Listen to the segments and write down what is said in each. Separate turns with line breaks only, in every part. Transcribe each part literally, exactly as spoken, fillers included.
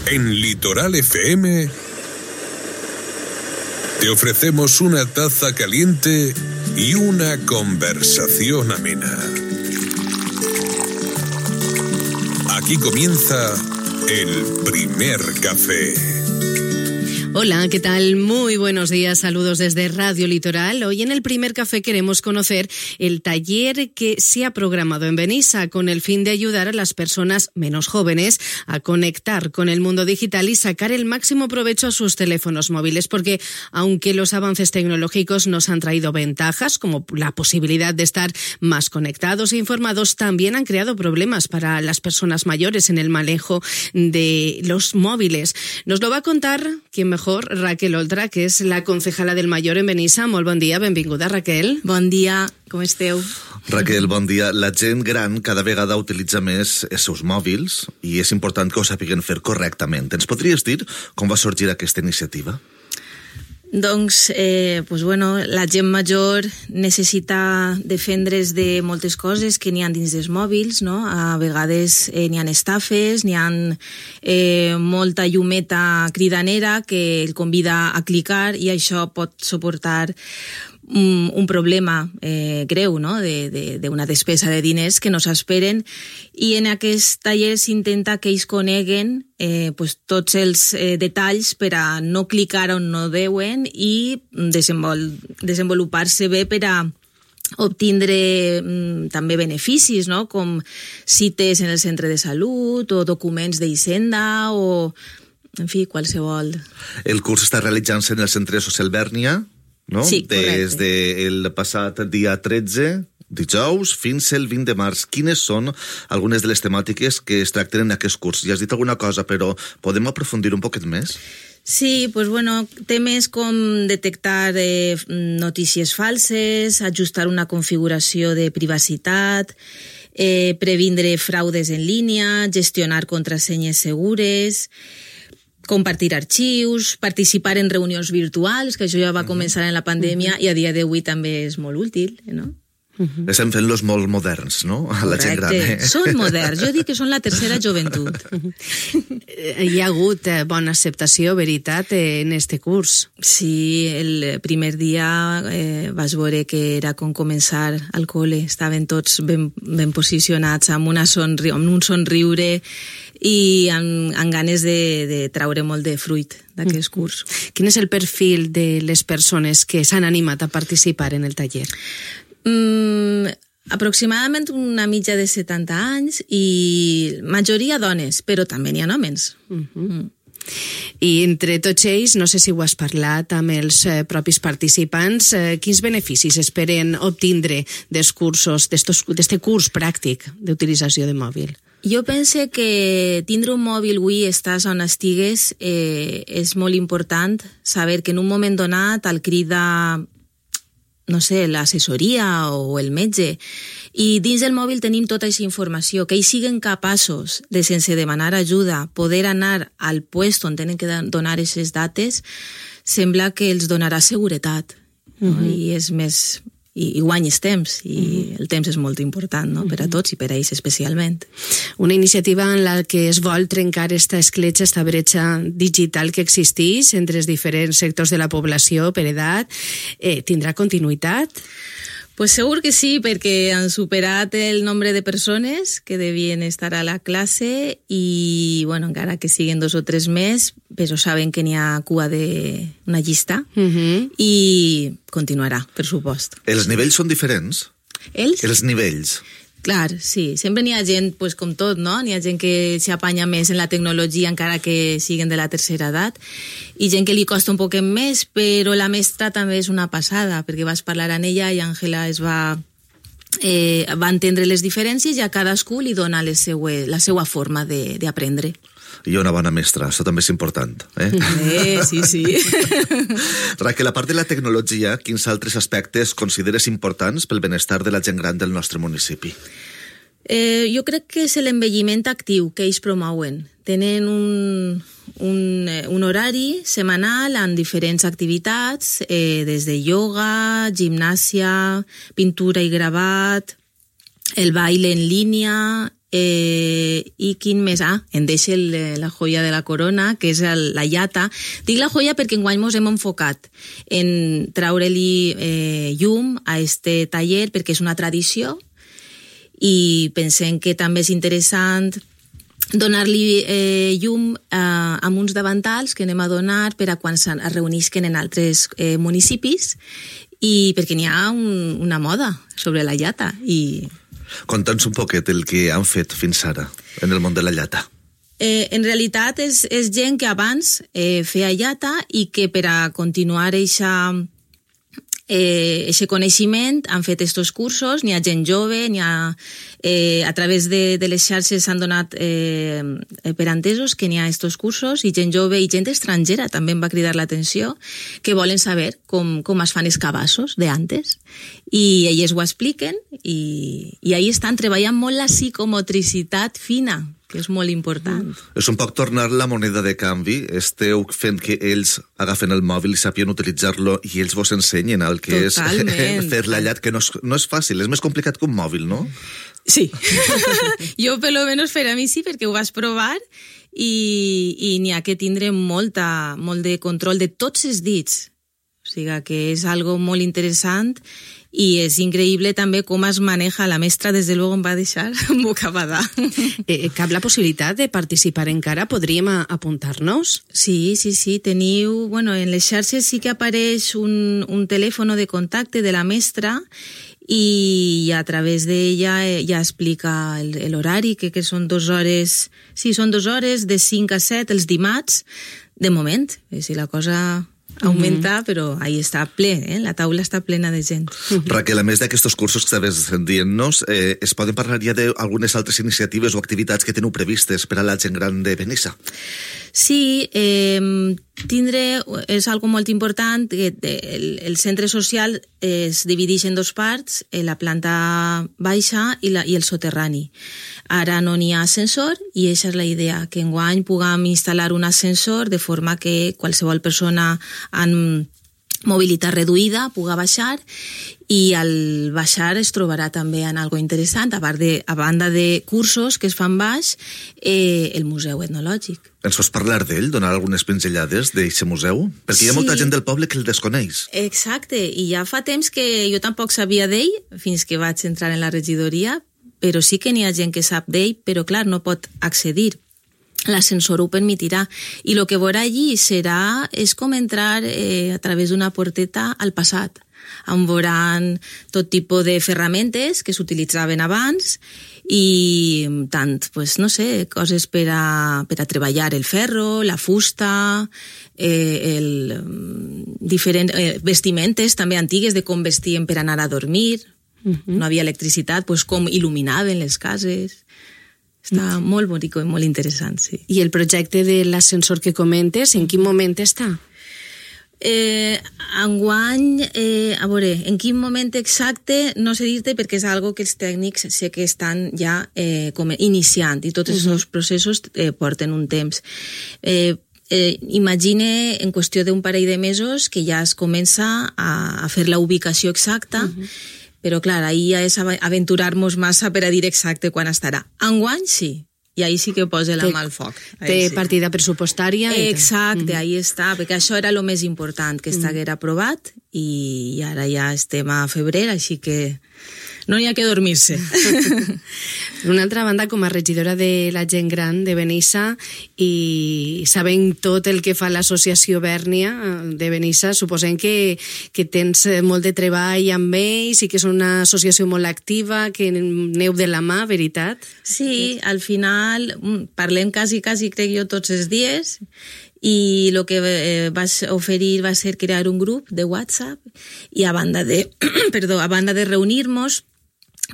En Litoral F M te ofrecemos una taza caliente y una conversación amena. Aquí comienza el primer café.
Hola, ¿qué tal? Muy buenos días, saludos desde Radio Litoral. Hoy en el primer café queremos conocer el taller que se ha programado en Benissa con el fin de ayudar a las personas menos jóvenes a conectar con el mundo digital y sacar el máximo provecho a sus teléfonos móviles, porque aunque los avances tecnológicos nos han traído ventajas, como la posibilidad de estar más conectados e informados, también han creado problemas para las personas mayores en el manejo de los móviles. Nos lo va a contar quien mejor, Raquel Oltra, que és la concejala del Mayor en Benissa. Molt bon dia, benvinguda, Raquel.
Bon dia, com esteu?
Raquel, bon dia. La gent gran cada vegada utilitza més els seus mòbils i és important que ho sàpiguen fer correctament. Ens podries dir com va sorgir aquesta iniciativa?
Doncs, eh, pues bueno, la gent major necessita defendre's de moltes coses que n'hi ha dins dels mòbils, no? A vegades eh, n'hi ha estafes, n'hi ha eh, molta llumeta cridanera que el convida a clicar i això pot suportar un, un problema eh, greu, no? de, de, de una despesa de diners que no s'esperen, i en aquest taller s'intenta que ells coneguen eh, pues, tots els eh, detalls per a no clicar on no deuen i desenvol, desenvolupar-se bé per a obtindre mm, també beneficis, no? Com cites en el centre de salut o documents d'Hisenda o, en fi, qualsevol.
El curs està realitzant-se en el centre social Bèrnia, no?
Sí, correcte.
Des del passat dia tretze, dijous, fins el vint de març. Quines són algunes de les temàtiques que es tracten en aquest curs? Ja has dit alguna cosa, però podem aprofundir un poquet més?
Sí, pues bueno, temes com detectar eh, notícies falses, ajustar una configuració de privacitat, eh, previndre fraudes en línia, gestionar contrasenyes segures, compartir arxius, participar en reunions virtuals, que això ja va començar en la pandèmia i a dia d'avui també és molt útil, no?
Uh-huh. Estem fent-los molt moderns, no? A la gent gran. Eh?
Són moderns, jo dic que són la tercera joventut.
Hi ha hagut eh, bona acceptació, veritat, eh, en este curs.
Sí, el primer dia eh, vas veure que era com començar al col·le, estaven tots ben, ben posicionats, amb, una sonri amb un somriure i amb, amb ganes de, de traure molt de fruit d'aquest curs.
Quin és el perfil de les persones que s'han animat a participar en el taller?
Mm, aproximadament una mitja de setanta anys i majoria dones, però també n'hi ha homes.
Uh-huh. Mm. I entre tots ells, no sé si ho has parlat amb els eh, propis participants, eh, quins beneficis esperen obtindre dels cursos, d'este curs pràctic d'utilització de mòbil?
Jo pense que tindre un mòbil avui, estàs on estigues, eh, és molt important saber que en un moment donat el crida, no sé, l'assessoria o el metge, i dins del mòbil tenim tota aquesta informació, que ells siguen capaços de, sense demanar ajuda, poder anar al puesto on tenen que donar aquestes dates, sembla que els donarà seguretat, no? Uh-huh. I és més... I, i guanyes temps, i uh-huh. el temps és molt important, no? Per a tots i per a ells especialment.
Una iniciativa en la que es vol trencar esta escletxa, esta bretxa digital que existeix entre els diferents sectors de la població per edat, eh, tindrà continuïtat?
Pues segur que sí, perquè han superat el nombre de persones que devien estar a la classe i, bueno, encara que siguin dos o tres més, però saben que n'hi ha cua d'una llista uh-huh. i continuarà, per supost.
Els nivells són diferents?
Els?
Els nivells.
Clar, sí. Sempre n'hi ha gent, pues, com tot, no? N'hi ha gent que s'apanya més en la tecnologia encara que siguin de la tercera edat i gent que li costa un poquet més, però la mestra també és una passada, perquè vas parlar amb ella i Àngela es va, eh, va entendre les diferències i a cadascú li dona les seue, la seva forma d'aprendre.
I una bona mestra, això també és important. Eh,
eh sí, sí.
Raquel, a part de la tecnologia, quins altres aspectes consideres importants pel benestar de la gent gran del nostre municipi?
Eh, jo crec que és l'envelliment actiu que ells promouen. Tenen un, un, un horari setmanal amb diferents activitats, eh, des de ioga, gimnàsia, pintura i gravat, el baile en línia, Eh, i quin més? Ah, em deixa el, la joia de la corona, que és el, la llata. Dic la joia perquè enguany mos hem enfocat en treure-li eh, llum a este taller, perquè és una tradició i pensem que també és interessant donar-li eh, llum eh, amb uns davantals que anem a donar per a quan es reunisquen en altres eh, municipis, i perquè n'hi ha un, una moda sobre la llata. I
conta'ns un poquet el que han fet fins ara en el món de la llata.
Eh, en realitat és, és gent que abans eh, feia llata i que per a continuar eixa, eh, eixe coneixement han fet estos cursos. N'hi ha gent jove, n'hi ha, eh, a través de, de les xarxes s'han donat eh, per entesos que n'hi ha estos cursos, i gent jove i gent estrangera també em va cridar l'atenció, que volen saber com, com es fan els cabassos d'antes, i elles ho expliquen, i, i ahí estan treballant molt la psicomotricitat fina, que és molt important.
Mm. És un poc tornar la moneda de canvi. Esteu fent que ells agafen el mòbil i sapien utilitzar-lo i ells vos ensenyen el que Totalment. És fer la llat, que no és, no és fàcil, és més complicat que un mòbil, no?
Sí. Jo, per lo menos, per a mi sí, perquè ho vas provar, i, i n'hi ha que tindre molta, molt de control de tots els dits. O sigui que és algo molt interessant, i és increïble també com es maneja. La mestra, des de luego, em va deixar bocabadà.
Eh, cap la possibilitat de participar encara? Podríem apuntar-nos?
Sí, sí, sí. Teniu... Bueno, en les xarxes sí que apareix un, un telèfon de contacte de la mestra, i a través d'ella ja explica l'horari, que, que són dues hores... Sí, són dues hores, de cinc a set, els dimarts, de moment. És a dir, la cosa augmenta, mm-hmm. però ahí està ple, eh? La taula està plena de gent.
Raquel, a més d'aquests cursos que estaves dient-nos, eh, es poden parlar ja d'algunes altres iniciatives o activitats que teniu previstes per a la gent gran de Benissa?
Sí, eh, tindre és algo molt important. El, el centre social es divideix en dos parts, la planta baixa i, la, i el soterrani. Ara no n'hi ha ascensor, i aquesta és la idea, que enguany puguem instal·lar un ascensor de forma que qualsevol persona amb mobilitat reduïda puga baixar, i al baixar es trobarà també en algo interessant, a, part de, a banda de cursos que es fan baix, eh, el Museu Etnològic.
Ens pots parlar d'ell, donar algunes pinzellades d'aquest museu? Perquè sí. Hi ha molta gent del poble que el desconeix.
Exacte, i ja fa temps que jo tampoc sabia d'ell, fins que vaig entrar en la regidoria, però sí que n'hi ha gent que sap d'ell, però clar, no pot accedir. L'ascensor ho permetirà, i el que veurà allí serà, és com entrar eh, a través d'una porteta al passat, on veuran tot tipus de ferramentes que s'utilitzaven abans, i tant, pues, no sé, coses per a, per a treballar el ferro, la fusta, eh, el, diferents eh, vestimentes també antigues de com vestien per anar a dormir. Uh-huh. No havia electricitat, pues, com il·luminaven les cases. Està molt bonic i molt interessant, sí.
I el projecte de l'ascensor que comentes, en quin moment està?
Eh, enguany, eh, a veure, en quin moment exacte no sé dir-te, perquè és algo que els tècnics sé que estan ja eh, com iniciant, i tots aquests uh-huh. processos eh, porten un temps. Eh, eh, imagine en qüestió d'un parell de mesos que ja es comença a, a fer la ubicació exacta, uh-huh. però clar, ahir ja és aventurar-nos massa per a dir exacte quan estarà. Enguany sí, i ahí sí que posa la mà al foc.
Té sí. partida pressupostària?
Exacte, mm. ahí està, perquè això era el més important, que estiguera aprovat, i ara ja estem a febrer, així que no hi ha que dormir-se.
Per una altra banda, com a regidora de la gent gran de Benissa, i sabent tot el que fa l'associació Bèrnia de Benissa, suposem que, que tens molt de treball amb ells i que és una associació molt activa, que neu de la mà, veritat?
Sí, al final parlem quasi, quasi, crec jo, tots els dies, i el que eh, vas oferir va ser crear un grup de WhatsApp, i a banda de, perdó, a banda de reunir-nos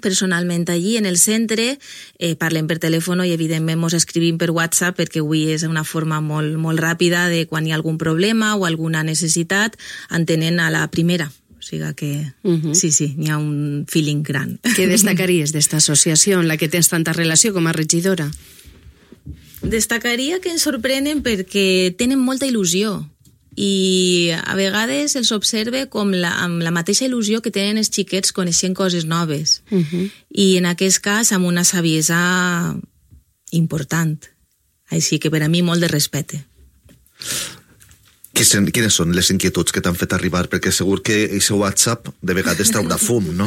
personalment allí en el centre, eh, parlem per telèfon i evidentment mos escrivim per WhatsApp, perquè avui és una forma molt, molt ràpida de quan hi ha algun problema o alguna necessitat, entenent a la primera. O sigui que uh-huh. sí, sí, n'hi ha un feeling gran.
Què destacaries d'esta associació en la que tens tanta relació com a regidora?
Destacaria que ens sorprenen perquè tenen molta il·lusió. i a vegades els observe com la, amb la mateixa il·lusió que tenen els xiquets coneixent coses noves. Uh-huh. I en aquest cas amb una saviesa important. Així que per a mi molt de respecte.
Quines són les inquietuds que t'han fet arribar? Perquè segur que aquest WhatsApp de vegades traurà fum, no?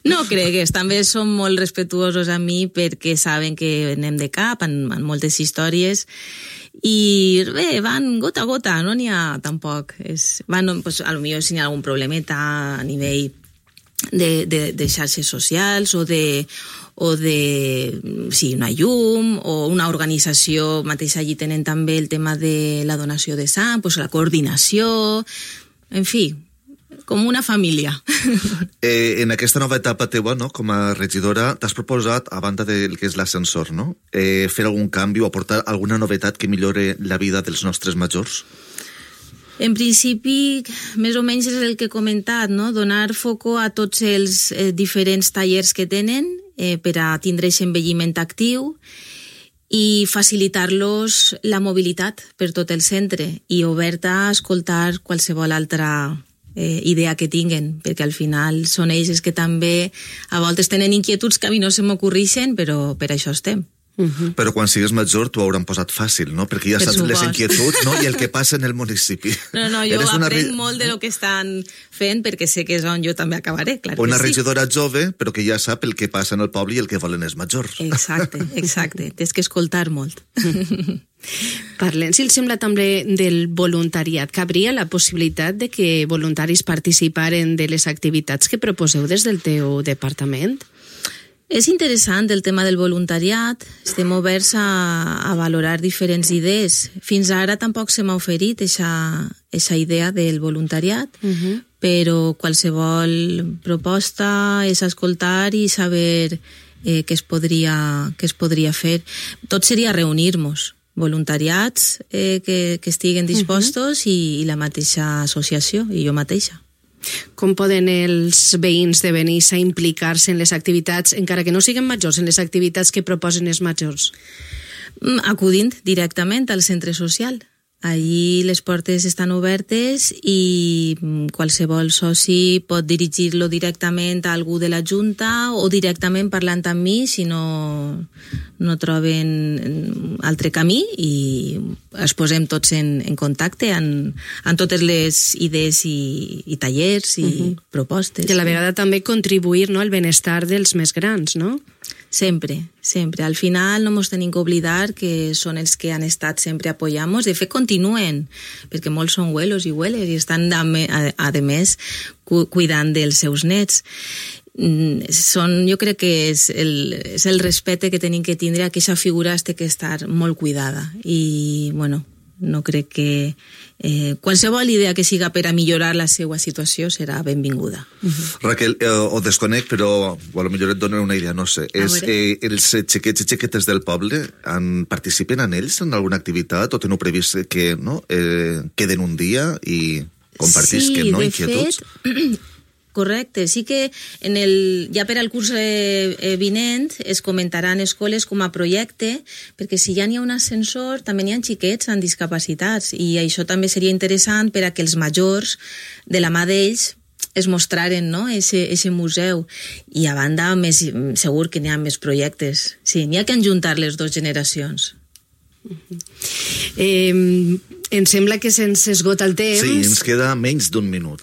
No cregues, també són molt respectuosos a mi perquè saben que anem de cap en, en moltes històries i bé, van gota a gota, no n'hi ha tampoc. És, van, pues, a lo millor si n'hi ha algun problemeta a nivell de, de, de xarxes socials o de o de, sí, una llum, o una organització, mateix allí tenen també el tema de la donació de sang, pues la coordinació, en fi, com una família.
Eh, en aquesta nova etapa teua, no, com a regidora, t'has proposat, a banda del que és l'ascensor, no? Eh, fer algun canvi o aportar alguna novetat que millore la vida dels nostres majors?
En principi, més o menys és el que he comentat, no? Donar foco a tots els eh, diferents tallers que tenen eh, per a tindre aquest envelliment actiu i facilitar-los la mobilitat per tot el centre i oberta a escoltar qualsevol altra eh, idea que tinguen, perquè al final són ells que també a voltes tenen inquietuds que a mi no se m'ocorreixen, però per això estem.
Uh-huh. Però quan sigues major t'ho hauran posat fàcil, no? Perquè ja per saps supost. Les inquietuds, no? I el que passa en el municipi.
No, no, jo Eres aprenc una... molt de lo que estan fent perquè sé que és on jo també acabaré, clar que
una
sí.
regidora jove, però que ja sap el que passa en el poble i el que volen els majors.
Exacte, exacte. Tens que escoltar molt.
Parlem, si els sembla també del voluntariat. Cabria la possibilitat de que voluntaris participaren de les activitats que proposeu des del teu departament?
És interessant el tema del voluntariat, estem oberts a, a valorar diferents idees. Fins ara tampoc se m'ha oferit aquesta idea del voluntariat, uh-huh. però qualsevol proposta és escoltar i saber eh, què, es podria, què es podria fer. Tot seria reunir-nos, voluntariats eh, que, que estiguen dispostos uh-huh. i, i la mateixa associació, i jo mateixa.
Com poden els veïns de Benissa implicar-se en les activitats, encara que no siguin majors, en les activitats que proposen els majors?
Acudint directament al centre social. Allí les portes estan obertes i qualsevol soci pot dirigir-lo directament a algú de la Junta o directament parlant amb mi si no, no troben altre camí i es posem tots en, en contacte en, en totes les idees i, i tallers i uh-huh. propostes.
I a la vegada també contribuir, no, al benestar dels més grans, no?
Sempre, sempre. Al final no ens tenim que oblidar que són els que han estat sempre apoyant-nos. De fet, continuen, perquè molts són abuelos i abueles i estan, a, a, a més, cu cuidant dels seus nets. Són, jo crec que és el, és el respecte que tenim que tindre a aquesta figura té que estar molt cuidada. I, bueno, no crec que eh, qualsevol idea que siga per a millorar la seva situació serà benvinguda.
Uh-huh. Raquel, eh, ho desconec, però o potser et dono una idea, no sé. És, eh, els xiquets i xiquetes del poble en, participen en ells en alguna activitat o teniu previst que no, eh, queden un dia i compartisquen
sí,
no,
de
inquietuds?
Fet, correcte, sí que en el, ja per al curs eh, vinent es comentaran escoles com a projecte, perquè si ja n'hi ha un ascensor també n'hi ha xiquets amb discapacitats i això també seria interessant per a que els majors de la mà d'ells es mostraren, no?, ese museu. I a banda, més, segur que n'hi ha més projectes. Sí, n'hi ha que enjuntar les dues generacions.
Eh, em sembla que se'ns esgota el temps.
Sí, ens queda menys d'un minut.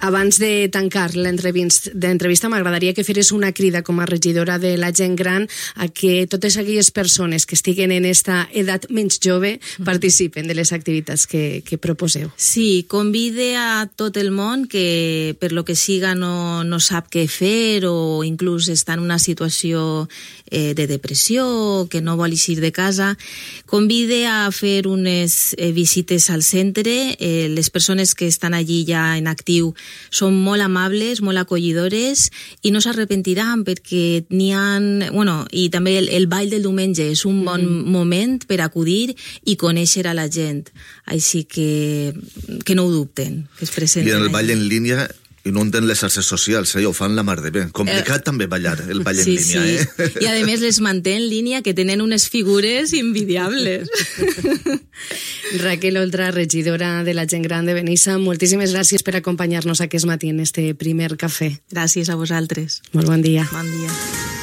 Abans de tancar l'entrevista m'agradaria que feres una crida com a regidora de la gent gran a que totes aquelles persones que estiguen en esta edat menys jove participen de les activitats que, que proposeu.
Sí, convide a tot el món que per lo que siga no, no sap què fer o inclús està en una situació eh, de depressió, que no vol eixir de casa. Convide a fer unes eh, visites al centre. Eh, les persones que estan allí ja en actiu són molt amables, molt acollidores i no s'arrepentiran perquè n'hi ha... Bueno, i també el, el ball del diumenge és un bon mm. moment per acudir i conèixer a la gent. Així que, que no ho dubten, que es presenten.
I en el ball en línia Inunden les xarxes socials, eh? Ho fan la mar de bé. Complicat eh, també ballar, el ball en
sí,
línia,
sí.
eh?
I a més les manté en línia, que tenen unes figures invidiables.
Raquel Oltra, regidora de la gent gran de Benissa, moltíssimes gràcies per acompanyar-nos aquest matí en este primer cafè.
Gràcies a vosaltres.
Molt bon dia.
Bon dia.